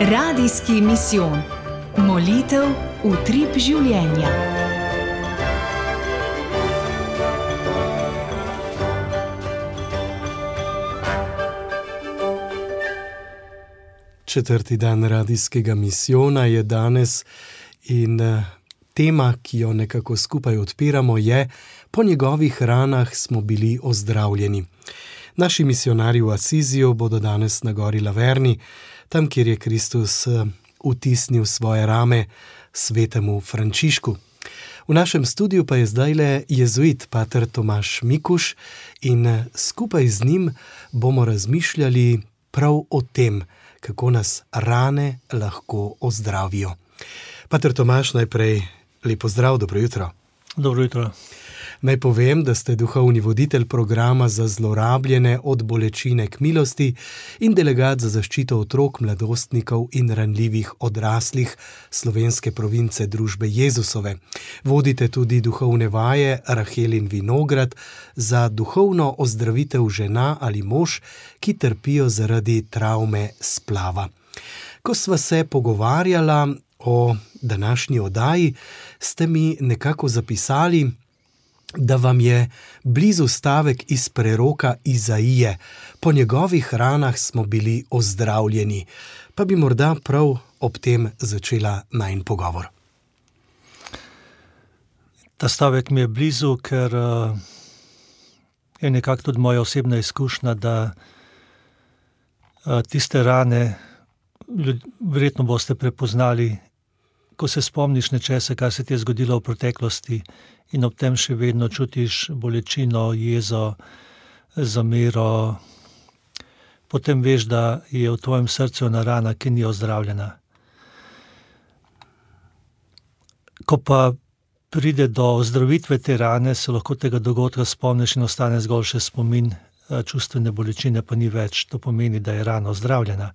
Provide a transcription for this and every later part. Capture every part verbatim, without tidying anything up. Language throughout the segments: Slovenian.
Radijski misijon. Molitev utrip življenja. Četrti dan radijskega misijona je danes in tema, ki jo nekako skupaj odpiramo, je: po njegovih ranah smo bili ozdravljeni. Naši misijonarji v Asiziju bodo danes na gori Laverni, tam, kjer je Kristus vtisnil svoje rame svetemu Frančišku. V našem studiu pa je zdajle jezuit pater Tomaž Mikuš in skupaj z njim bomo razmišljali prav o tem, kako nas rane lahko ozdravijo. Pater Tomaž, najprej lepo zdrav, dobro jutro. Dobro jutro. Naj povem, da ste duhovni voditelj programa za zlorabljene od bolečine k milosti in delegat za zaščito otrok, mladostnikov in ranljivih odraslih slovenske province Družbe Jezusove. Vodite tudi duhovne vaje Rahel in Vinograd za duhovno ozdravitev žena ali mož, ki trpijo zaradi travme splava. Ko sva se pogovarjala o današnji oddaji, ste mi nekako zapisali, da vam je blizu stavek iz preroka Izaije: po njegovih ranah smo bili ozdravljeni. Pa bi morda prav ob tem začela najin pogovor. Ta stavek mi je blizu, ker uh, je nekako tudi moja osebna izkušnja, da uh, tiste rane ljud, verjetno boste prepoznali, ko se spomniš nečesa, kar se ti je zgodilo v preteklosti, in ob tem še vedno čutiš bolečino, jezo, zamero, potem veš, da je v tvojem srcu ena rana, ki ni ozdravljena. Ko pa pride do ozdravitve te rane, se lahko tega dogodka spomniš in ostane zgolj še spomin, čustvene bolečine pa ni več. To pomeni, da je rana ozdravljena.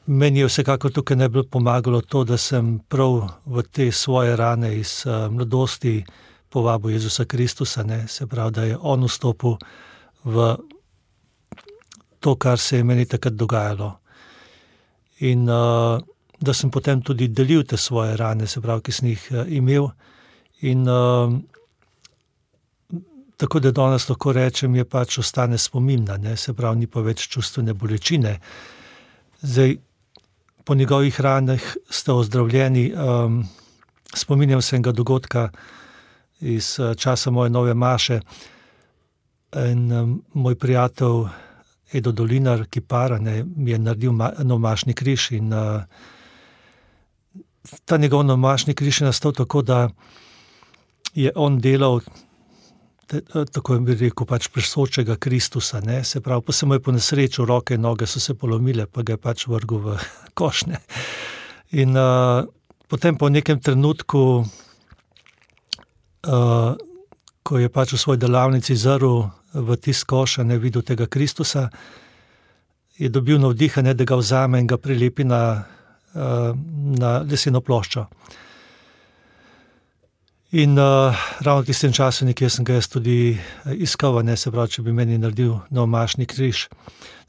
Meni je vsekakor tukaj najbolj pomagalo to, da sem prav v te svoje rane iz uh, mladosti povabil Jezusa Kristusa, ne? Se pravi, da je on vstopil v to, kar se je meni takrat dogajalo. In uh, da sem potem tudi delil te svoje rane, se pravi, ki sem jih uh, imel. In uh, tako da danes lahko rečem, je pač ostane spominna, ne? Se pravi, ni pa več čustvene bolečine. Zdaj, po njegovih ranah ste ozdravljeni. Um, spominjam se enega dogodka iz uh, časa moje nove maše. In um, moj prijatelj Edo Dolinar, kipar, ne, mi je naredil ma- novomašni križ in uh, ta njegov novomašni križ je nastal tako, da je on delal tako bi rekel, pač presočega Kristusa, ne, se pravi, pa se mu je po nesreču roke in noge so se polomile, pa ga je pač vrgel v košnje. In uh, potem po nekem trenutku, uh, ko je pač v svoji delavnici zrl v tisk koša, ne, videl tega Kristusa, je dobil navdihanje, da ga vzame in ga prilepi na, uh, na leseno ploščo. In uh, ravno v tistem času nekje sem ga jaz tudi iskal, ne, se pravi, če bi meni naredil novomašni križ.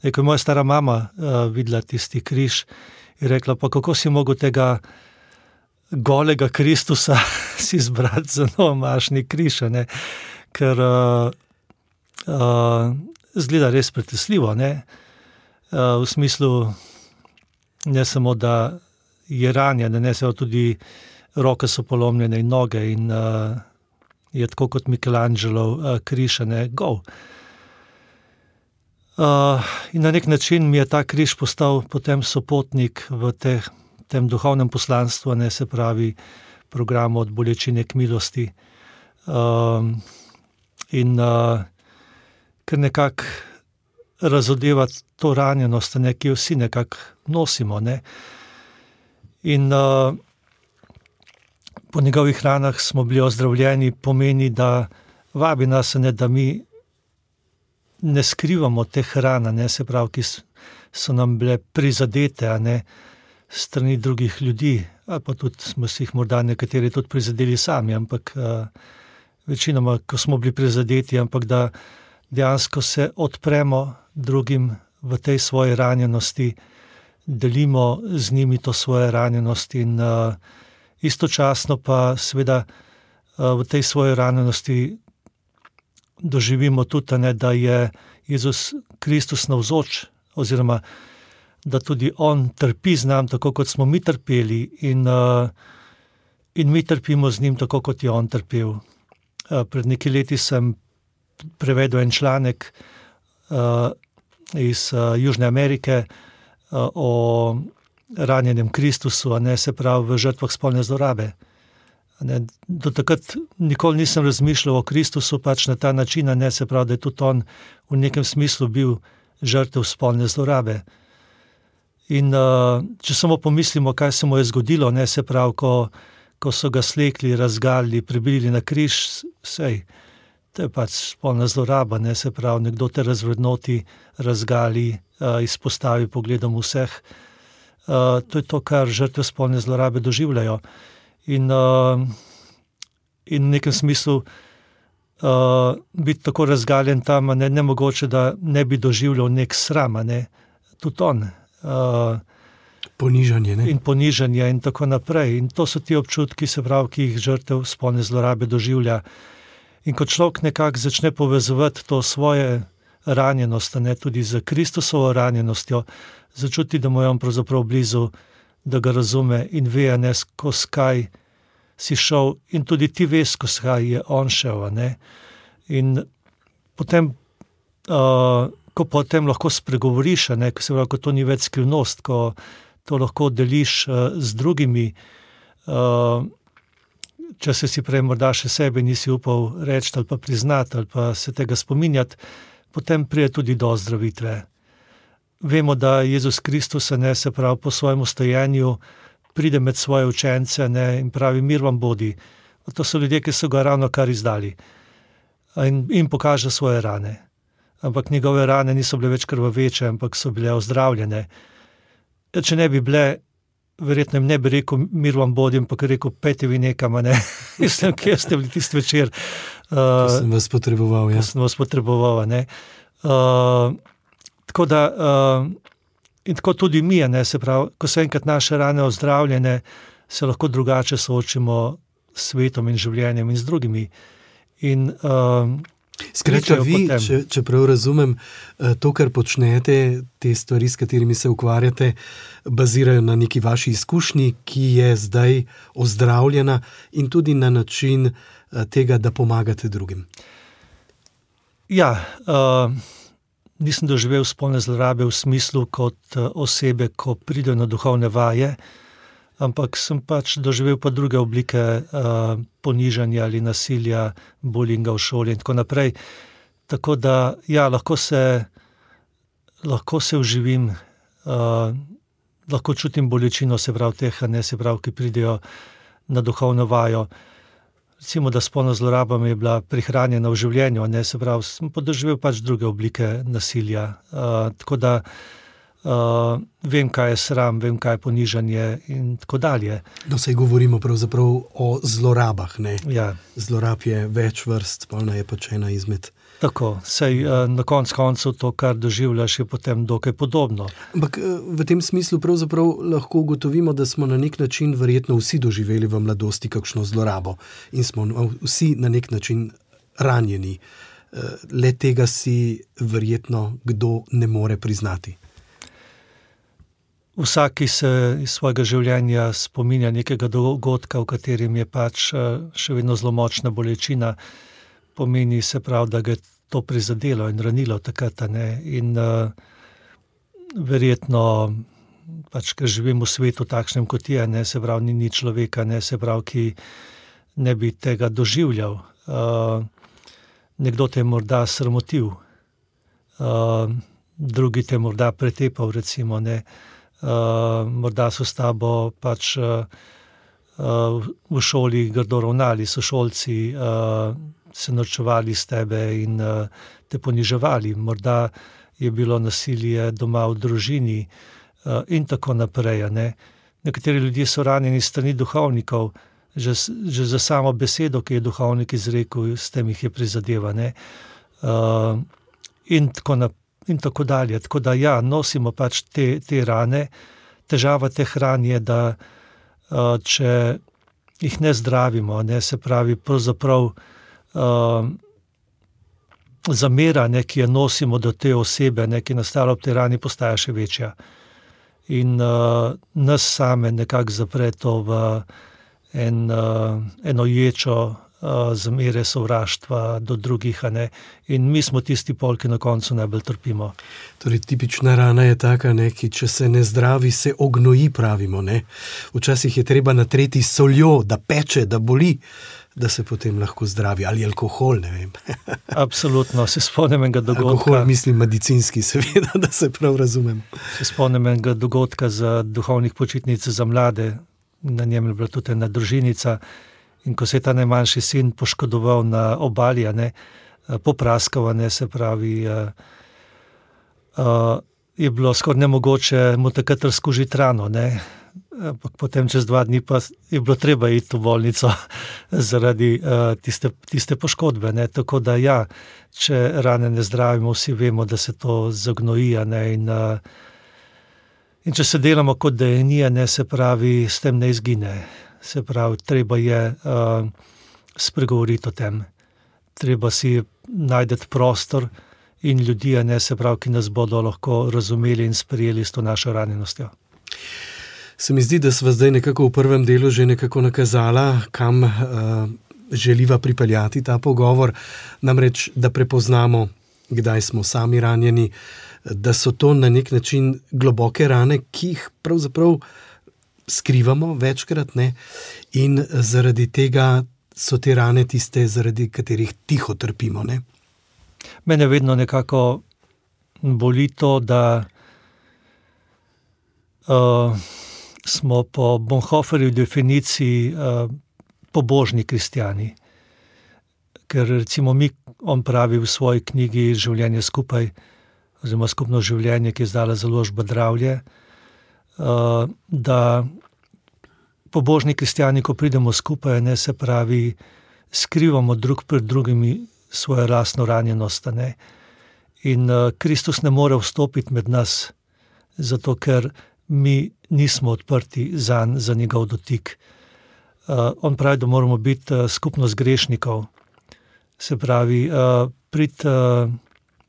Ko je moja stara mama uh, videla tisti križ, je rekla: pa kako si mogel tega golega Kristusa si izbrati za novomašni križ, ne? Ker uh, uh, zgleda res pretresljivo, ne? Uh, v smislu, ne samo, da je ranjen, ne, se tudi roke so polomljene in noge in uh, je tako kot Michelangelo uh, križ, ne, gol. Uh, in na nek način mi je ta križ postal potem sopotnik v te, tem duhovnem poslanstvu, ne, se pravi programu od bolečine k milosti. Uh, in uh, ker nekako razodeva to ranjenost, ne, ki jo vsi nekako nosimo, ne. In uh, po njegovih ranah smo bili ozdravljeni, pomeni, da vabi nas, ne, da mi ne skrivamo teh ran, ne, se pravi, ki so nam bile prizadete, ne, strani drugih ljudi, ali pa tudi smo si jih morda nekateri tudi prizadeli sami, ampak uh, večinoma, ko smo bili prizadeti, ampak da dejansko se odpremo drugim v tej svoji ranjenosti, delimo z njimi to svoje ranjenost in uh, istočasno pa seveda uh, v tej svoji ranjenosti doživimo tudi, ne, da je Jezus Kristus navzoč, oziroma da tudi on trpi z nam, tako kot smo mi trpeli, in, uh, in mi trpimo z njim, tako kot je on trpel. Uh, pred nekaj leti sem prevedel en članek uh, iz uh, Južne Amerike uh, o ranjenem Kristusu, a ne, se pravi v žrtvah spolne zlorabe. Ne, do takrat nikoli nisem razmišljal o Kristusu pač na ta način, ne, se pravi, da je tudi on v nekem smislu bil žrtev spolne zlorabe. In uh, če samo pomislimo, kaj se mu je zgodilo, ne, se pravi, ko, ko so ga slekli, razgalili, pribili na križ, sej, to je pač spolna zloraba, ne, se pravi, nekdo te razvrednoti, razgali, uh, izpostavi pogledom vseh. Uh, to je to, kar žrtve spolne zlorabe doživljajo. In, uh, in v nekem smislu uh, biti tako razgaljen tam, ne, nemogoče, da ne bi doživljal nek sram, ne, tudi on. Uh, ponižanje, ne? In ponižanje in tako naprej. In to so ti občutki, se pravi, ki jih žrtev spolne zlorabe doživlja. In ko človek nekako začne povezovati to svoje ranjenost, ne, tudi z Kristusovo ranjenostjo, začuti, da mu je on pravzaprav blizu, da ga razume in ve, ne, skozi kaj si šel, in tudi ti veš, skozi kaj je on šel. Ne. In potem, uh, ko potem lahko spregovoriš, ne, ko se pravi, ko to ni več skrivnost, ko to lahko deliš uh, z drugimi, uh, če se si prej morda še sebe nisi upal reči ali pa priznati ali pa se tega spominjati, potem pride tudi do ozdravitve. Vemo, da Jezus Kristus, ne, se pravi, po svojem stojenju pride med svoje učence, ne, in pravi, mir vam bodi. To so ljudje, ki so ga ravno kar izdali. In, in pokaže svoje rane. Ampak njegove rane niso bile več krvaveče, ampak so bile ozdravljene. Če ne bi bile, verjetno jim ne bi rekel, mir vam bodi, ampak rekel, pejte vi nekam, ne. Mislim, kje ste bili tisti večer. Uh, ko sem vas potreboval, ja. Ko sem vas potreboval, ne. Uh, Tako da, uh, in tako tudi mi, ne, se pravi, ko so enkrat naše rane ozdravljene, se lahko drugače soočimo s svetom in življenjem in z drugimi. In, uh, Skratka, vi, če, če prav razumem, to, kar počnete, te stvari, s katerimi se ukvarjate, bazirajo na neki vaši izkušnji, ki je zdaj ozdravljena, in tudi na način tega, da pomagate drugim. Ja, uh, nisem doživel spolne zlorabe v smislu kot osebe, ko pridejo na duhovne vaje, ampak sem pač doživel pa druge oblike uh, ponižanja ali nasilja, bullyinga v šoli in tako naprej. Tako da, ja, lahko se, lahko se vživim, uh, lahko čutim bolečino, se pravi teh, ne, se pravi, ki pridejo na duhovno vajo. Recimo, da spolna zloraba mi je bila prihranjena v življenju, ne, se pravi, sem podoživel pač druge oblike nasilja. Uh, tako da uh, vem, kaj je sram, vem, kaj je ponižanje in tako dalje. No, saj govorimo pravzaprav o zlorabah, ne? Ja. Zlorab je več vrst, spolna je pač ena izmed. Tako, sej na konc koncev to, kar doživljaš, je potem dokaj podobno. Ampak v tem smislu pravzaprav lahko ugotovimo, da smo na nek način verjetno vsi doživeli v mladosti kakšno zlorabo in smo vsi na nek način ranjeni. Le tega si verjetno kdo ne more priznati. Vsak, ki se iz svojega življenja spominja nekega dogodka, v katerem je pač še vedno zelo močna bolečina, pomeni, se pravi, da ga je to prizadelo in ranilo takrat, ne, in uh, verjetno, pač, ker živim v svetu takšnem, kot je, ne, se pravi, ni ni človeka, ne, se pravi, ki ne bi tega doživljal. Uh, nekdo te je morda sramotil, uh, drugi te je morda pretepal, recimo, ne, uh, morda so s tabo pač uh, uh, v šoli grdo ravnali, sošolci, uh, se norčevali s tebe in uh, te poniževali. Morda je bilo nasilje doma v družini uh, in tako naprej. Ne. Nekateri ljudje so ranjeni s strani duhovnikov, že, že za samo besedo, ki je duhovnik izrekel, s tem jih je prizadeva. Ne. Uh, in, tako na, in tako dalje. Tako da ja, nosimo pač te, te rane, težava teh ran je, da uh, če jih ne zdravimo, ne, se pravi, pravzaprav uh, zamera, ne, ki jo nosimo do te osebe, ne, ki nastala ob tej rani, postaja še večja. In uh, nas same nekako zapre to v en, uh, eno ječo uh, zamere, sovraštva do drugih, a ne. In mi smo tisti pol, ki na koncu najbolj trpimo. Torej, tipična rana je taka, ne, ki če se ne zdravi, se ognoji, pravimo, ne. Včasih je treba natreti soljo, da peče, da boli, da se potem lahko zdravi. Ali alkohol, ne vem. Absolutno, se spomnim enega dogodka. Alkohol, mislim medicinski, seveda, da se prav razumem. Se spomnim enega dogodka za duhovnih počitnic za mlade, na njem je bila tudi ena družinica, in ko se je ta najmanjši sin poškodoval na obali, ne, popraskal, ne, se pravi, uh, uh, je bilo skoraj nemogoče mu takrat razkužiti rano, ne. Potem čez dva dni pa je bilo treba iti v bolnico zaradi uh, tiste, tiste poškodbe, ne. Tako da ja, če rane ne zdravimo, vsi vemo, da se to zagnoji, ne, in, uh, in če se delamo kot da je ni, ne, se pravi, s tem ne izgine. Se pravi, treba je uh, spregovoriti o tem. Treba si najdeti prostor in ljudi, ne, se pravi, ki nas bodo lahko razumeli in sprejeli s to našo ranjenostjo. Se mi zdi, da sva zdaj nekako v prvem delu že nekako nakazala, kam uh, želiva pripeljati ta pogovor, namreč, da prepoznamo, kdaj smo sami ranjeni, da so to na nek način globoke rane, ki jih pravzaprav skrivamo večkrat, ne, in zaradi tega so te rane tiste, zaradi katerih tiho trpimo, ne. Mene vedno nekako boli to, da uh, smo po Bonhoefferjevi definiciji uh, pobožni kristjani. Ker recimo mi, on pravi v svoji knjigi Življenje skupaj, oziroma Skupno življenje, ki je izdala založba Dravlje, uh, da pobožni kristjani, ko pridemo skupaj, ne, se pravi, skrivamo drug pred drugimi svojo lastno ranjenost, ne. In uh, Kristus ne more vstopiti med nas, zato ker mi nismo odprti zanj, za njegov dotik. Uh, on pravi, da moramo biti uh, skupnost grešnikov. Se pravi, uh, prid, uh,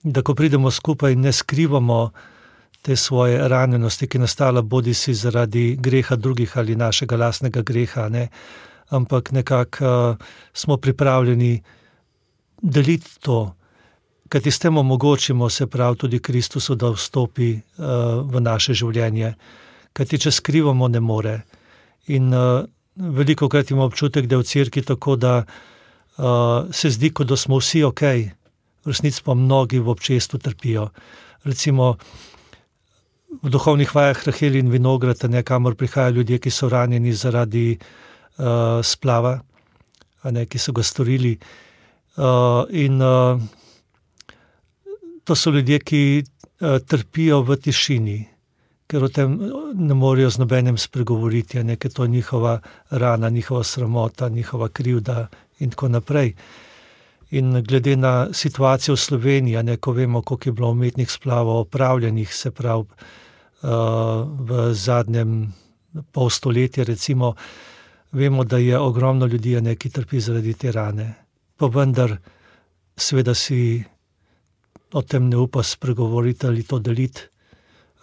da ko pridemo skupaj, ne skrivamo te svoje ranjenosti, ki je nastala bodi si zaradi greha drugih ali našega lastnega greha, ne, ampak nekako uh, smo pripravljeni deliti to, kajti s tem omogočimo, se pravi, tudi Kristusu, da vstopi uh, v naše življenje. Kajti če skrivamo, ne more. In uh, veliko krat imamo občutek, da je v cerkvi tako, da uh, se zdi, kot da smo vsi ok, v resnici pa mnogi v občestvu trpijo. Recimo v duhovnih vajah Rahel in Vinograd, ne, kamor prihajajo ljudje, ki so ranjeni zaradi uh, splava, a ne, ki so ga storili. Uh, in uh, to so ljudje, ki uh, trpijo v tišini, ker o tem ne morejo z nobenem spregovoriti, ne, ker to je njihova rana, njihova sramota, njihova krivda in tako naprej. In glede na situacijo v Sloveniji, ne, ko vemo, koliko je bilo umetnih splavov opravljenih, se pravi uh, v zadnjem pol stoletja, recimo, vemo, da je ogromno ljudi, ne, ki trpi zaradi te rane. Pa vendar seveda si o tem ne upa spregovoriti ali to deliti,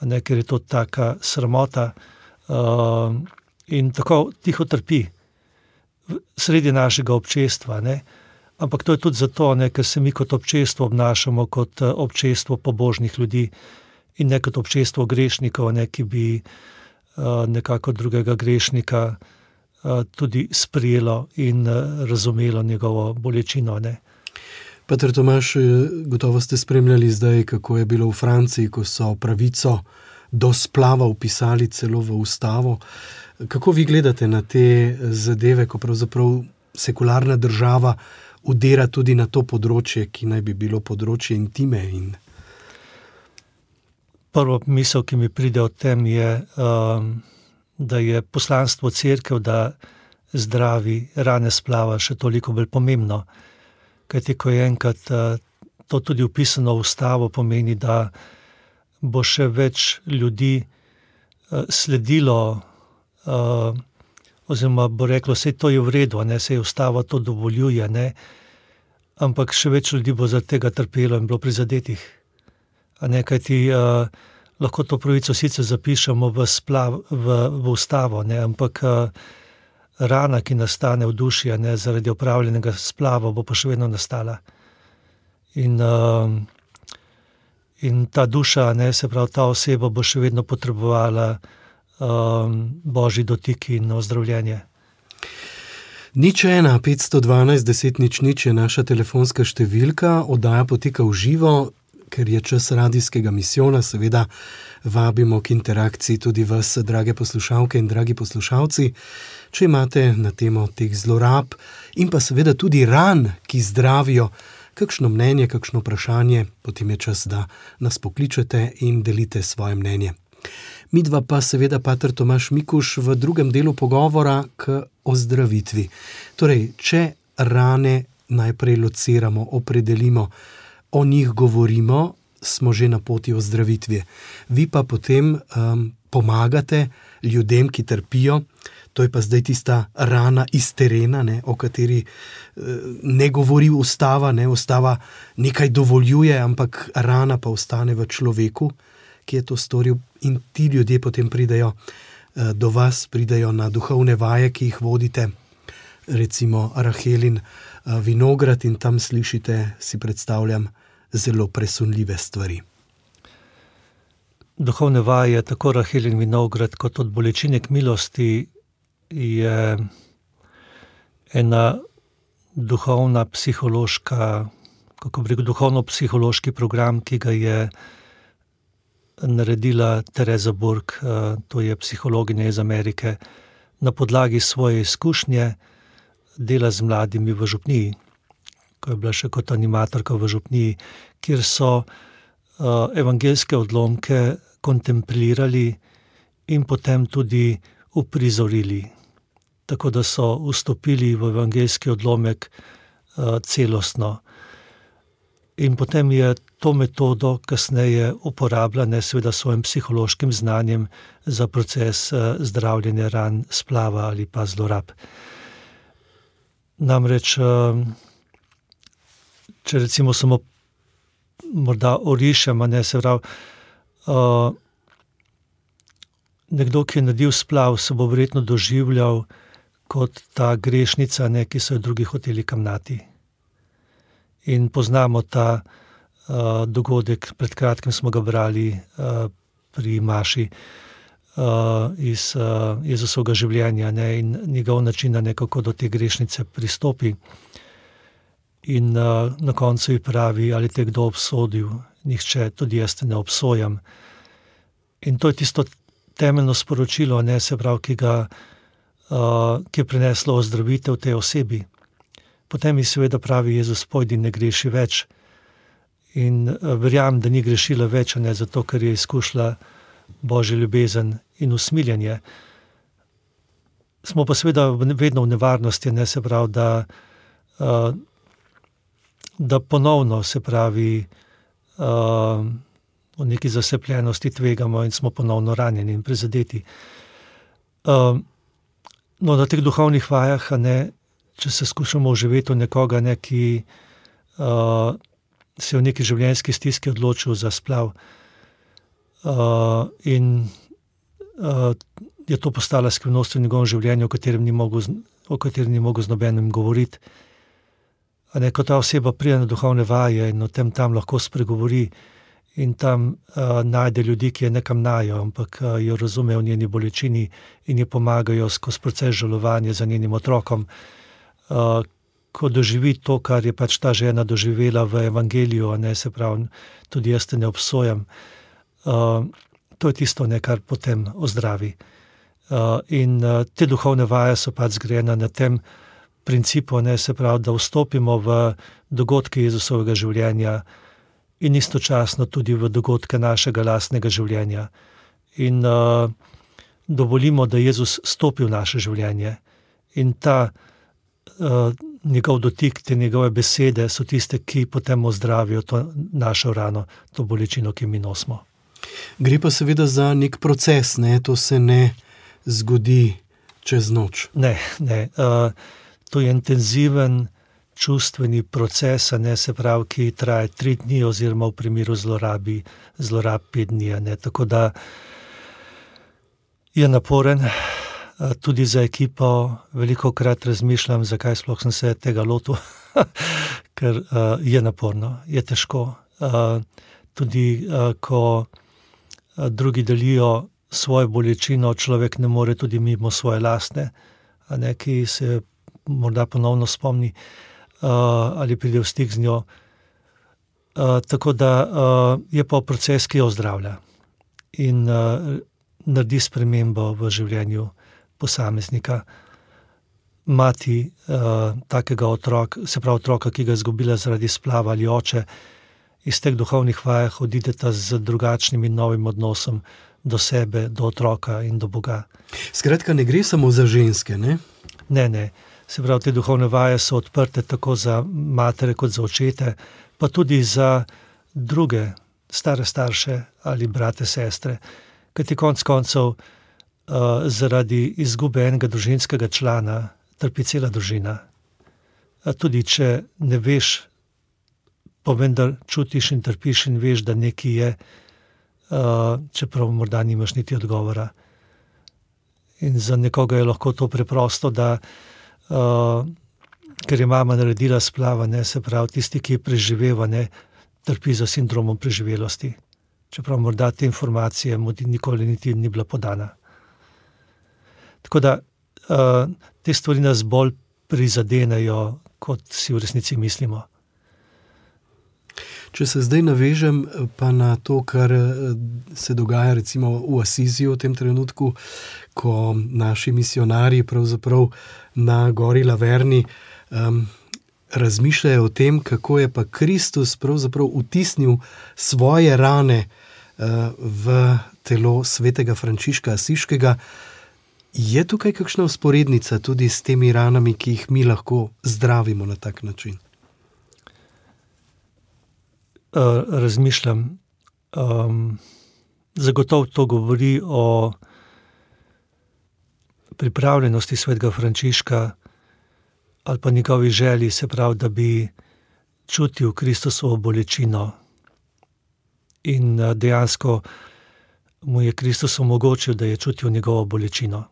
ne, ker je to taka sramota, uh, in tako tiho trpi sredi našega občestva, ne. Ampak to je tudi zato, ne, ker se mi kot občestvo obnašamo kot občestvo pobožnih ljudi in ne kot občestvo grešnikov, ne, ki bi uh, nekako drugega grešnika tudi sprijelo in razumelo njegovo bolečino, ne. Pater Tomaž, gotovo ste spremljali zdaj, kako je bilo v Franciji, ko so pravico do splava vpisali celo v ustavo. Kako vi gledate na te zadeve, ko pravzaprav sekularna država udira tudi na to področje, ki naj bi bilo področje intime? In... Prvo misel, ki mi pride o tem, je, um, da je poslanstvo cerkev, da zdravi rane splava, še toliko bolj pomembno. Kajti, ko je enkrat uh, to tudi vpisano v ustavo, pomeni, da bo še več ljudi sledilo, uh, oziroma bo reklo, sej to je v redu, ne, sej ustava to dovoljuje, ne, ampak še več ljudi bo zaradi tega trpelo in bilo prizadetih. A ne, kajti uh, lahko to pravico sicer zapišemo v, splav, v, v ustavo, ne, ampak uh, rana, ki nastane v duši, ne, zaradi opravljenega splava, bo pa še vedno nastala. In, uh, in ta duša, ne, se pravi, ta oseba bo še vedno potrebovala um, božji dotik in ozdravljenje. Nič ena, petsto dvanajst, deset nič nič je naša telefonska številka, oddaja poteka v živo, ker je čas radijskega misijona, seveda vabimo k interakciji tudi vas, drage poslušalke in dragi poslušalci. Če imate na temo teh zlorab in pa seveda tudi ran, ki zdravijo, kakšno mnenje, kakšno vprašanje, potem je čas, da nas pokličete in delite svoje mnenje. Midva pa seveda pater Tomaž Mikuš v drugem delu pogovora k ozdravitvi. Torej, če rane najprej lociramo, opredelimo, o njih govorimo, smo že na poti ozdravitve. Vi pa potem um, pomagate ljudem, ki trpijo. To je pa zdaj tista rana iz terena, ne, o kateri ne govori ustava, ne, ustava nekaj dovoljuje, ampak rana pa ostane v človeku, ki je to storil, in ti ljudje potem pridejo do vas, pridejo na duhovne vaje, ki jih vodite, recimo Rahelin vinograd, in tam slišite, si predstavljam, zelo presunljive stvari. Duhovne vaje, tako Rahelin vinograd kot od bolečine k milosti, je ena duhovna psihološka, kako bi rekel, duhovno-psihološki program, ki ga je naredila Teresa Burk, to je psihologinja iz Amerike, na podlagi svoje izkušnje dela z mladimi v župniji, ko je bila še kot animatorka v župniji, kjer so evangeljske odlomke kontemplirali in potem tudi uprizorili, tako da so vstopili v evangeljski odlomek uh, celostno. In potem je to metodo kasneje uporabila, ne seveda svojim psihološkim znanjem, za proces uh, zdravljenja ran, splava ali pa zlorab. Namreč, uh, če recimo samo morda orišem, ne, se pravi, uh, nekdo, ki je naredil splav, se bo verjetno doživljal kot ta grešnica, ne, ki so jo drugi hoteli kamnati. In poznamo ta uh, dogodek, pred kratkim smo ga brali uh, pri Maši uh, iz uh, Jezusovega življenja, ne, in njegov način, ne, kako do te grešnice pristopi. In uh, na koncu ji pravi, ali te kdo obsodil, nihče, tudi jaz te ne obsojam. In to je tisto temeljno sporočilo, ne, se pravi, ki ga Uh, ki je prineslo ozdravitev tej osebi. Potem ji seveda pravi Jezus, pojdi, ne greši več. In uh, verjamem, da ni grešila več, ne, zato ker je izkušala Božjo ljubezen in usmiljenje. Smo pa seveda vedno v nevarnosti, ne, se pravi, da, uh, da ponovno, se pravi, uh, v neki zasepljenosti tvegamo in smo ponovno ranjeni in prizadeti. Uh, No, na teh duhovnih vajah, ne, če se skušamo oživeti v nekoga, ne, ki uh, se je v neki življenjski stiski odločil za splav uh, in uh, je to postala skrivnost v njegovem življenju, o katerem ni mogel, o katerem ni mogel z nobenim govoriti. A ne, ko ta oseba pride na duhovne vaje in o tem tam lahko spregovori in tam uh, najde ljudi, ki je ne kamnajo, ampak uh, jo razumejo v njeni bolečini in ji pomagajo skozi proces žalovanja za njenim otrokom. Uh, ko doživi to, kar je pač ta žena doživela v evangeliju, ne, se pravi, tudi jaz te ne obsojam, uh, to je tisto, ne, kar potem ozdravi. Uh, in uh, te duhovne vaje so pač zgrajene na tem principu, ne, se pravi, da vstopimo v dogodke Jezusovega življenja in istočasno tudi v dogodke našega lastnega življenja. In uh, dovolimo, da Jezus stopi v naše življenje. In ta uh, njegov dotik, te njegove besede so tiste, ki potem ozdravijo to našo rano, to bolečino, ki mi nosimo. Gre pa seveda za nek proces, ne? To se ne zgodi čez noč. Ne, ne. Uh, to je intenziven čustveni proces, ne, se pravi, ki traja tri dni oziroma v primeru zlorabi, zlorab pet dni. Ne. Tako da je naporen. Tudi za ekipo veliko krat razmišljam, zakaj sploh sem se tega lotil, ker uh, je naporno, je težko. Uh, tudi uh, ko uh, drugi delijo svojo bolečino, človek ne more tudi mimo svoje lastne, a ne, ki se morda ponovno spomni uh, ali pride v stik z njo. Uh, tako da uh, je pa proces, ki jo ozdravlja in uh, naredi spremembo v življenju posameznika. Mati uh, takega otroka, se pravi otroka, ki ga je izgubila zaradi splava, ali oče, iz teh duhovnih vajah odideta z drugačnim in novim odnosom do sebe, do otroka in do Boga. Skratka, ne gre samo za ženske, ne? Ne, ne. Se pravi, te duhovne vaje so odprte tako za matere kot za očete, pa tudi za druge stare starše ali brate, sestre, kajti konec koncev Uh, zaradi izgube enega družinskega člana trpi cela družina. Uh, tudi če ne veš, pa vendar čutiš in trpiš in veš, da nekaj je, uh, čeprav morda nimaš niti odgovora. In za nekoga je lahko to preprosto, da uh, ker je mama naredila splava, ne, se pravi, tisti, ki je preživeva, ne, trpi za sindromom preživelosti. Čeprav morda te informacije mu nikoli niti ni bila podana. Tako da uh, te stvari nas bolj prizadenejo, kot si v resnici mislimo. Če se zdaj navežem pa na to, kar se dogaja recimo v Asiziju v tem trenutku, ko naši misionarji pravzaprav na gori Laverni um, razmišljajo o tem, kako je pa Kristus pravzaprav vtisnil svoje rane uh, v telo svetega Frančiška Asiškega. Je tukaj kakšna vzporednica tudi s temi ranami, ki jih mi lahko zdravimo na tak način? Uh, razmišljam. Um, zagotovo to govori o pripravljenosti svetega Frančiška ali pa njegovi želji, se pravi, da bi čutil Kristusovo bolečino. In uh, dejansko mu je Kristus omogočil, da je čutil njegovo bolečino.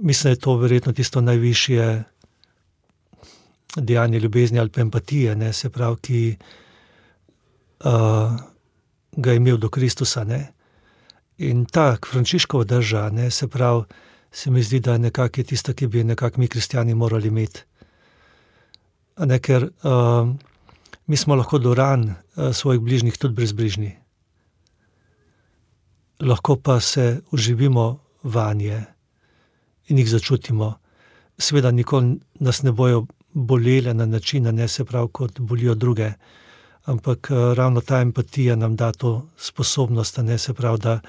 Mislim, da je to verjetno tisto najvišje dejanje ljubezni ali pa empatije, ne, se pravi, ki uh, ga je imel do Kristusa. Ne. In ta Frančiškova drža, ne, se pravi, se mi zdi, da nekako je tista, ki bi nekako mi kristjani morali imeti. Ne, ker uh, mi smo lahko do ran uh, svojih bližnjih tudi brezbrižni. Lahko pa se uživimo vanje in jih začutimo. Seveda nikoli nas ne bojo bolele na način, ne, se pravi, kot bolijo druge, ampak ravno ta empatija nam da to sposobnost, ne, se pravi, da,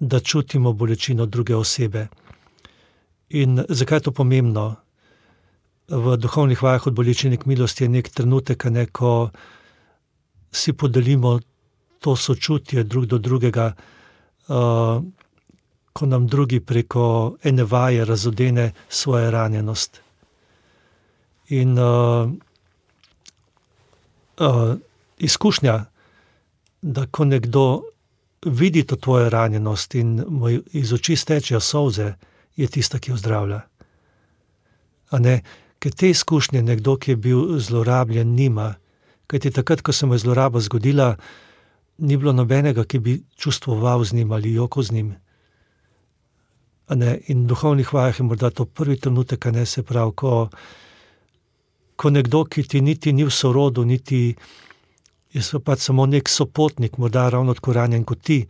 da čutimo bolečino druge osebe. In zakaj je to pomembno? V duhovnih vajah od bolečine k milosti je nek trenutek, ne, ko si podelimo to sočutje drug do drugega, uh, ko nam drugi preko ene vaje razodene svojo ranjenost. In uh, uh, izkušnja, da ko nekdo vidi to tvojo ranjenost in mu iz oči stečejo solze, je tista, ki jo zdravlja. A ne, ker te izkušnje nekdo, ki je bil zlorabljen, nima. Kajti takrat, ko se mu je zloraba zgodila, ni bilo nobenega, ki bi čustvoval z njim ali jokal z njim. A ne, in v duhovnih vajah je morda to prvi trenutek, a ne, se pravi, ko, ko nekdo, ki ti niti ni v sorodu, niti je pač samo nek sopotnik, morda ravno tako ranjen kot ti,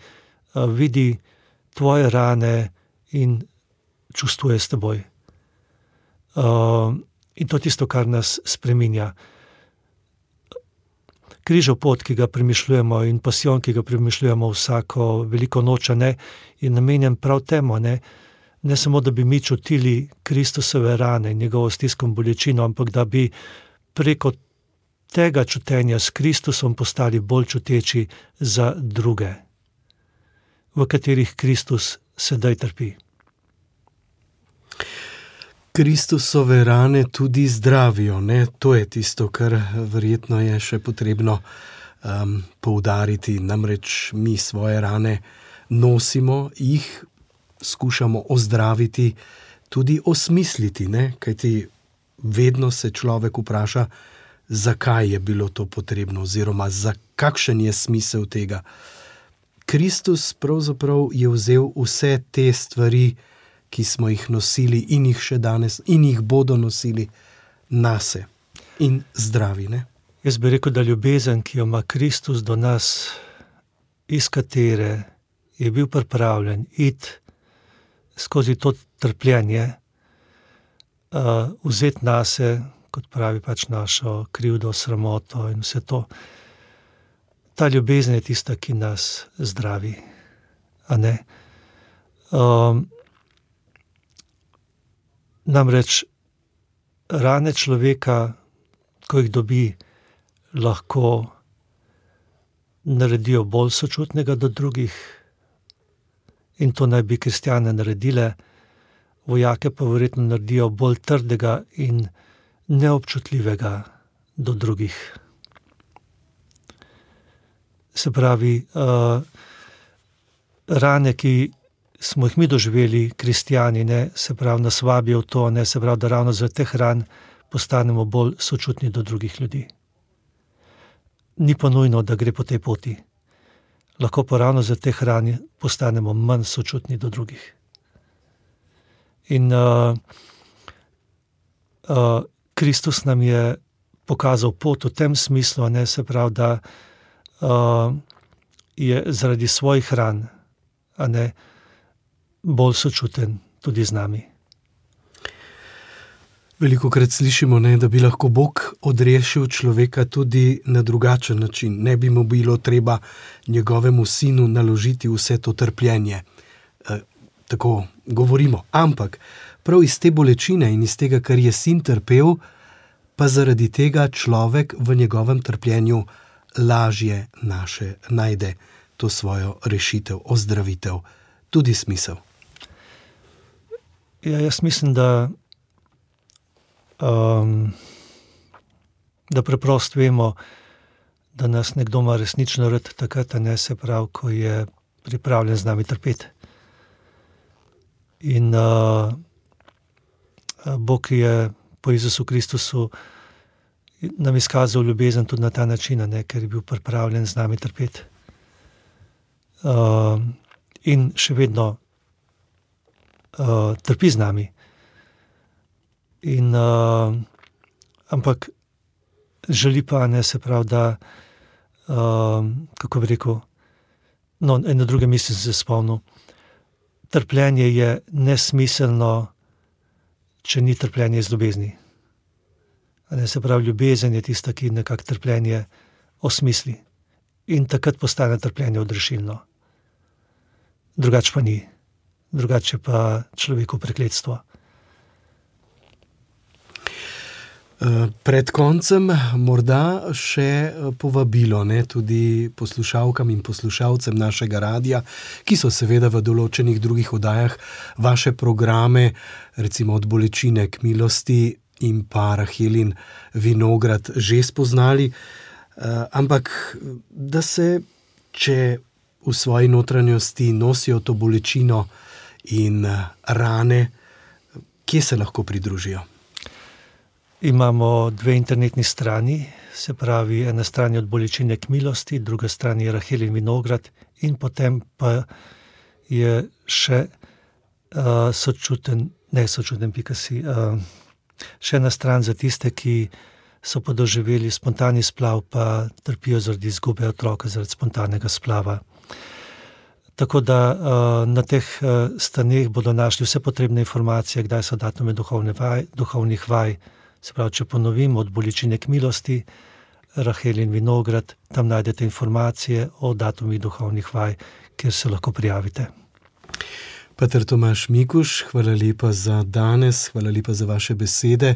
a, vidi tvoje rane in čustvuje s teboj. A, in to je tisto, kar nas spreminja. Križev pot, ki ga premišljujemo, in pasijon, ki ga premišljujemo vsako veliko noč, ne, je namenjen prav temu, ne, ne samo, da bi mi čutili Kristusove rane in njegovo stisko in bolečino, ampak da bi preko tega čutenja s Kristusom postali bolj čuteči za druge, v katerih Kristus sedaj trpi. Kristusove rane tudi zdravijo, ne? To je tisto, kar verjetno je še potrebno um, poudariti. Namreč mi svoje rane nosimo, jih skušamo ozdraviti, tudi osmisliti, ne? Kajti vedno se človek vpraša, zakaj je bilo to potrebno oziroma za kakšen je smisel tega. Kristus pravzaprav je vzel vse te stvari, ki smo jih nosili in jih še danes in jih bodo nosili nase in zdravi, ne? Jaz bi rekel, da ljubezen, ki jo ima Kristus do nas, iz katere je bil pripravljen iti skozi to trpljenje, uh, vzeti nase, kot pravi pač našo krivdo, sramoto in vse to. Ta ljubezen je tista, ki nas zdravi, a ne? Um, namreč rane človeka, ko jih dobi, lahko naredijo bolj sočutnega do drugih, in to naj bi kristjane naredile, vojake pa verjetno naredijo bolj trdega in neobčutljivega do drugih. Se pravi, uh, rane, ki smo jih mi doživeli, kristjani, ne, se pravi, nas vabijo v to, ne, se pravi, da ravno zaradi teh ran postanemo bolj sočutni do drugih ljudi. Ni pa nujno, da gre po tej poti. Lahko pa ravno zaradi teh ran postanemo manj sočutni do drugih. In uh, uh, Kristus nam je pokazal pot v tem smislu, ne, se pravi, da uh, je zaradi svojih ran, a ne, bolj sočuten tudi z nami. Velikokrat slišimo, ne, da bi lahko Bog odrešil človeka tudi na drugačen način. Ne bi mu bilo treba njegovemu sinu naložiti vse to trpljenje. E, tako govorimo. Ampak prav iz te bolečine in iz tega, kar je sin trpel, pa zaradi tega človek v njegovem trpljenju lažje naše najde to svojo rešitev, ozdravitev, tudi smisel. Ja, jaz mislim, da Um, da preprosto vemo, da nas nekdo ima resnično rad takrat, ne, se pravi, ko je pripravljen z nami trpeti. In uh, Bog je po Jezusu Kristusu nam izkazal ljubezen tudi na ta način, ne, ker je bil pripravljen z nami trpeti. Uh, in še vedno uh, trpi z nami. In, uh, ampak želi pa, ne, se pravi, da, uh, kako bi rekel, no, eno druge misli sem se spomnil, trpljenje je nesmiselno, če ni trpljenje iz ljubezni. A ne, se pravi, ljubezen je tista, ki nekako trpljenje osmisli. In takrat postane trpljenje odrešilno. Drugače pa ni. Drugače pa človeku prekletstvo. Pred koncem morda še povabilo, ne, tudi poslušalkam in poslušalcem našega radia, ki so seveda v določenih drugih oddajah vaše programe, recimo Od bolečine k milosti in pa Rahelin Vinograd že spoznali, ampak da se, če v svoji notranjosti nosijo to bolečino in rane, kje se lahko pridružijo? Imamo dve internetni strani, se pravi, ena stran je Od bolečine k milosti, druga stran je Rahelin Vinograd in potem pa je še uh, sočuten, ne sočuten, pika si, uh, še ena stran za tiste, ki so pa doživeli spontani splav, pa trpijo zaradi izgube otroka, zaradi spontanega splava. Tako da uh, na teh uh, straneh bodo našli vse potrebne informacije, kdaj so datume duhovne vaj, duhovnih vaj. Se pravi, če ponovim, Od bolečine k milosti, Rahelin Vinograd, tam najdete informacije o datumih duhovnih vaj, kjer se lahko prijavite. Pater Tomaž Mikuš, hvala lepa za danes, hvala lepa za vaše besede.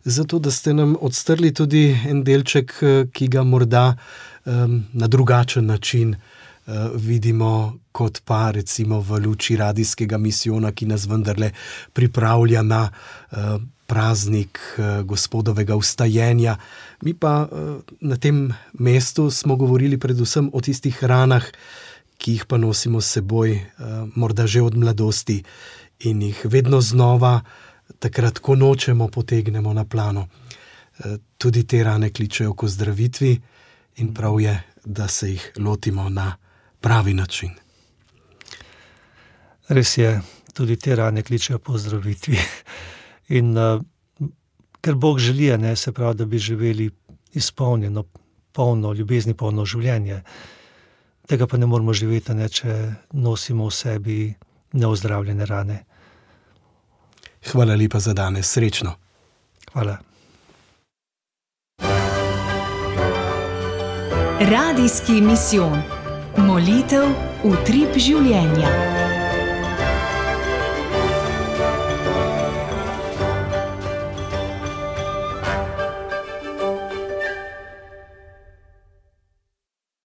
zato da ste nam odstrli tudi en delček, ki ga morda um, na drugačen način uh, vidimo, kot pa recimo v luči radijskega misijona, ki nas vendarle pripravlja na uh, praznik uh, Gospodovega vstajenja. Mi pa uh, na tem mestu smo govorili predvsem o tistih ranah, ki jih pa nosimo s seboj, uh, morda že od mladosti in jih vedno znova, takrat, ko nočemo, potegnemo na plano. Uh, tudi te rane kličejo k ozdravitvi in prav je, da se jih lotimo na pravi način. Res je, tudi te rane kličejo po ozdravitvi. In uh, ker Bog želi, ne, se pravi, da bi živeli izpolnjeno, polno, ljubezni polno življenje. Tega pa ne moramo živeti, ne, če nosimo v sebi neozdravljene rane. Hvala lepa za danes, srečno. Hvala. Radijski misijon. Molitev, utrip življenja.